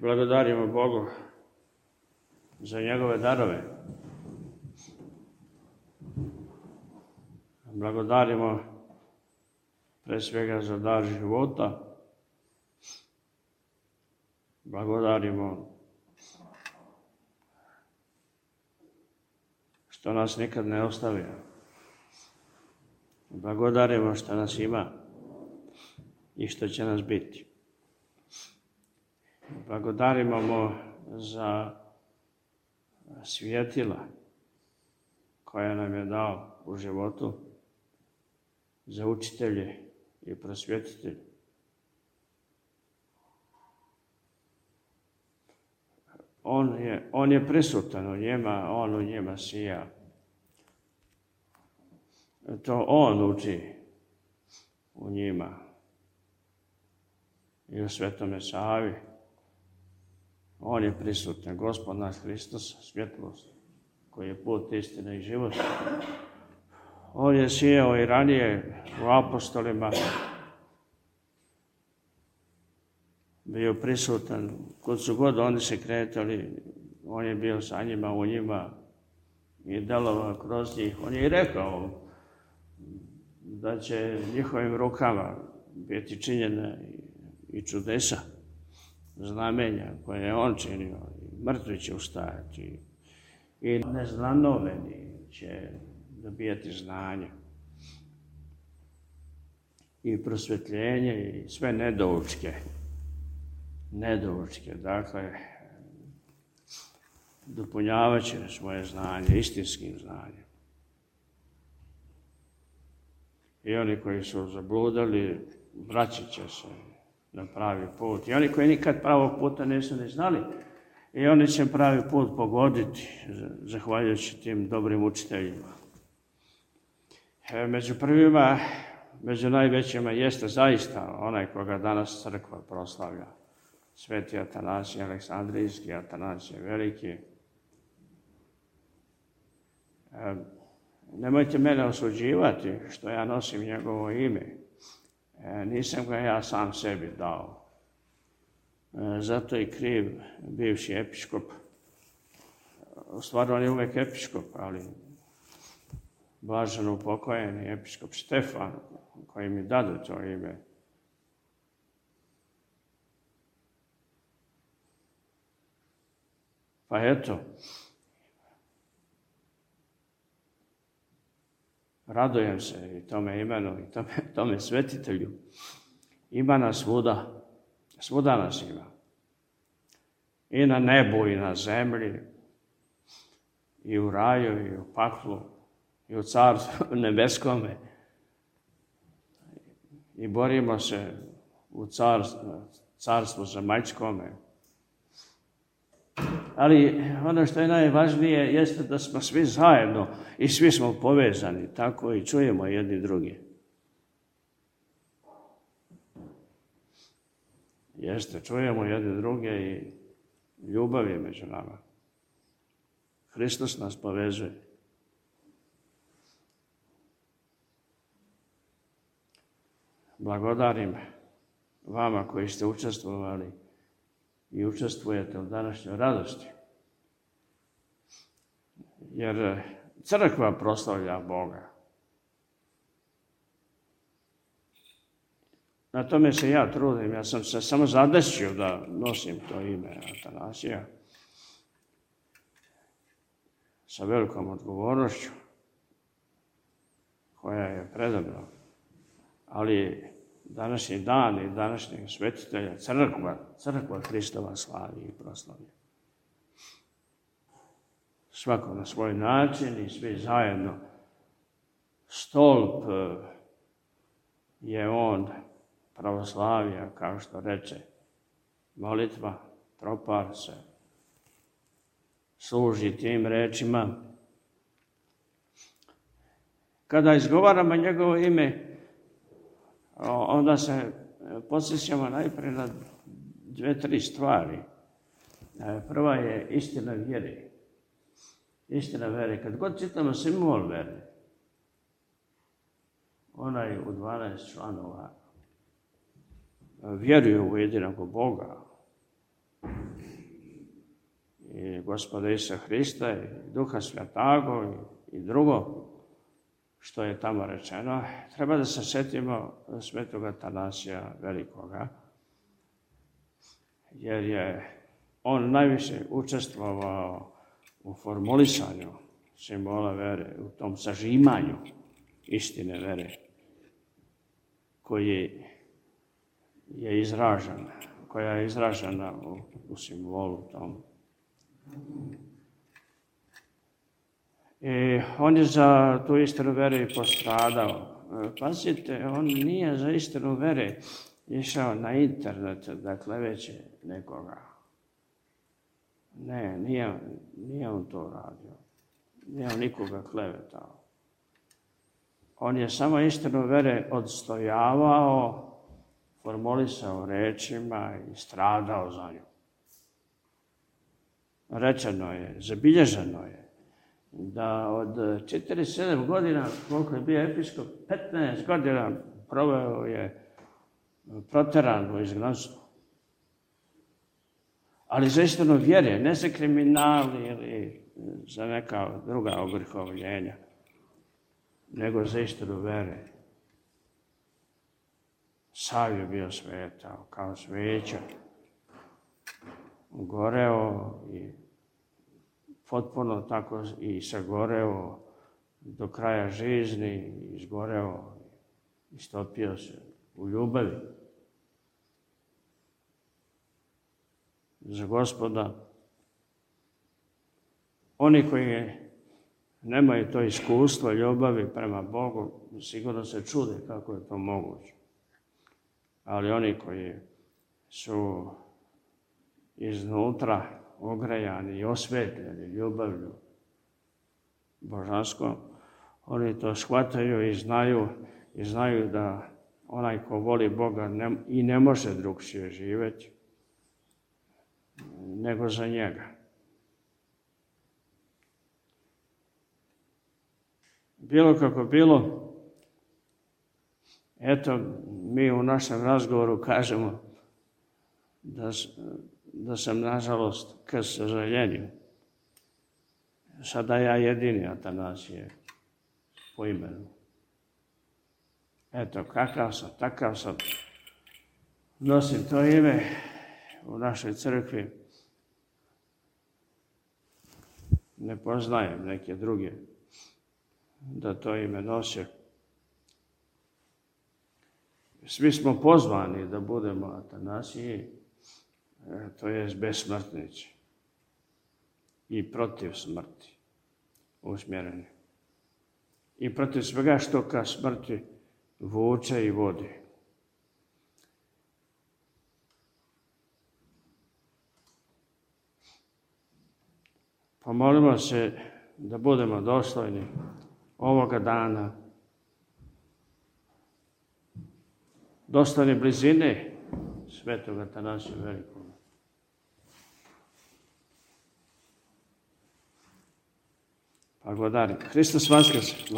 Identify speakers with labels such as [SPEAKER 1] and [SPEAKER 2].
[SPEAKER 1] Blagodarimo Bogu za njegove darove. Blagodarimo pre svega za dar života. Blagodarimo što nas nikad ne ostavlja. Blagodarimo što nas ima i što će nas biti. Blagodarimo mu za svjetila koja nam je dao u životu, za učitelje i prosvjetitelje. On je prisutan u njima, on u njima sija. To on uči u njima i u Svetome Savi. On je prisutan, Gospod naš Hristos, svjetlost, koji je put, istina i život. On je sijao i ranije u apostolima, bio prisutan, kod su god oni se kretali, on je bio sa njima, u njima i delovao kroz njih. On je i rekao da će njihovim rukama biti činjene i čudesa, znamenja koje je on činio, mrtvi će ustajati i neznanoveni će dobijati znanje i prosvjetljenje i sve nedoučke, dakle, dopunjavat će svoje znanje istinskim znanjem. I oni koji su zabludali, vraćat će se na pravi put. I oni koji nikad pravog puta nisu ni znali, i oni će pravi put pogoditi, zahvaljujući tim dobrim učiteljima. Među prvima, među najvećima jeste zaista onaj koga danas crkva proslavlja. Sveti Atanasije Aleksandrijski, Atanasije Veliki. Nemojte mene osuđivati što ja nosim njegovo ime. Nisam ga ja sam sebi dao. Zato je kriv bivši episkop. U stvari on je uvek episkop, ali blaženo upokojeni episkop Štefan, koji mi dade to ime. Pa eto, radujem se i tome imenu i tome svetitelju. Ima nas svuda nas ima. I na nebu i na zemlji, i u raju i u paklu, i u carstvu nebeskome. I borimo se u carstvu zemaljskome. Ali ono što je najvažnije jeste da smo svi zajedno i svi smo povezani, tako i čujemo jedni drugi. Jeste, čujemo jedni druge i ljubav je među nama. Hristos nas povezuje. Blagodarim vama koji ste učestvovali i učestvujete u današnjoj radosti. Jer crkva proslavlja Boga. Na tome se ja trudim. Ja sam se samo zadesio da nosim to ime Atanasija sa velikom odgovornošću koja je predobra. Ali današnji dan i današnjeg svetitelja crkva Hristova slavi i proslavlja. Svako na svoj način i svi zajedno. Stolp je on pravoslavija, kao što reče molitva, tropar se služi tim rečima. Kada izgovaramo njegovo ime, onda se podsjećamo najprije na 2-3 stvari. Prva je istina vjere. Istina vjere. Kad god čitamo simbol vjere, onaj u 12 članova vjeruju u jedinog Boga, i Gospoda Isusa Hrista i Duha Svjatago i drugo što je tamo rečeno, treba da se sjetimo svetog Atanasija Velikoga, jer je on najviše učestvovao u formulisanju simbola vere, u tom sažimanju istine vere, koja je izražena u simbolu tom. I on je za tu istinu vere i postradao. Pazite, on nije za istinu vere išao na internet da kleveće nekoga. Ne, nije on to radio. Nije on nikoga klevetao. On je samo istinu vere odstojavao, formulisao rečima i stradao za nju. Rečeno je, zabilježeno je, da od 47 godina, koliko je bio episkop, 15 godina proveo je proteran u izgnanstvu. Ali za istinu vjere, ne za kriminal ili za neka druga ogrihovljenja, nego za istinu vere. Sav je bio svetao, kao sveća, goreo i potpuno tako i sagoreo do kraja žizni, izgoreo, istopio se u ljubavi za Gospoda. Oni koji nemaju to iskustvo ljubavi prema Bogu, sigurno se čude kako je to moguće. Ali oni koji su iznutra ogrejani i osvetljeni ljubavlju božanskom, oni to shvataju i znaju da onaj ko voli Boga i ne može drugčije živjeti nego za njega. Bilo kako bilo, eto, mi u našem razgovoru kažemo da sam, nažalost, k sažaljenju, sada ja jedini Atanasije po imenu. Eto, kakav sam, takav sam, nosim to ime u našoj crkvi, ne poznajem neke druge da to ime nose. Svi smo pozvani da budemo Atanasiji, to je besmrtnici i protiv smrti usmjereni. I protiv svega što ka smrti vuče i vodi. Pomolimo se da budemo dostojni ovoga dana, dostojni blizine svetog Atanasija Velikog. Blagodarim. Hristos Vaskrse.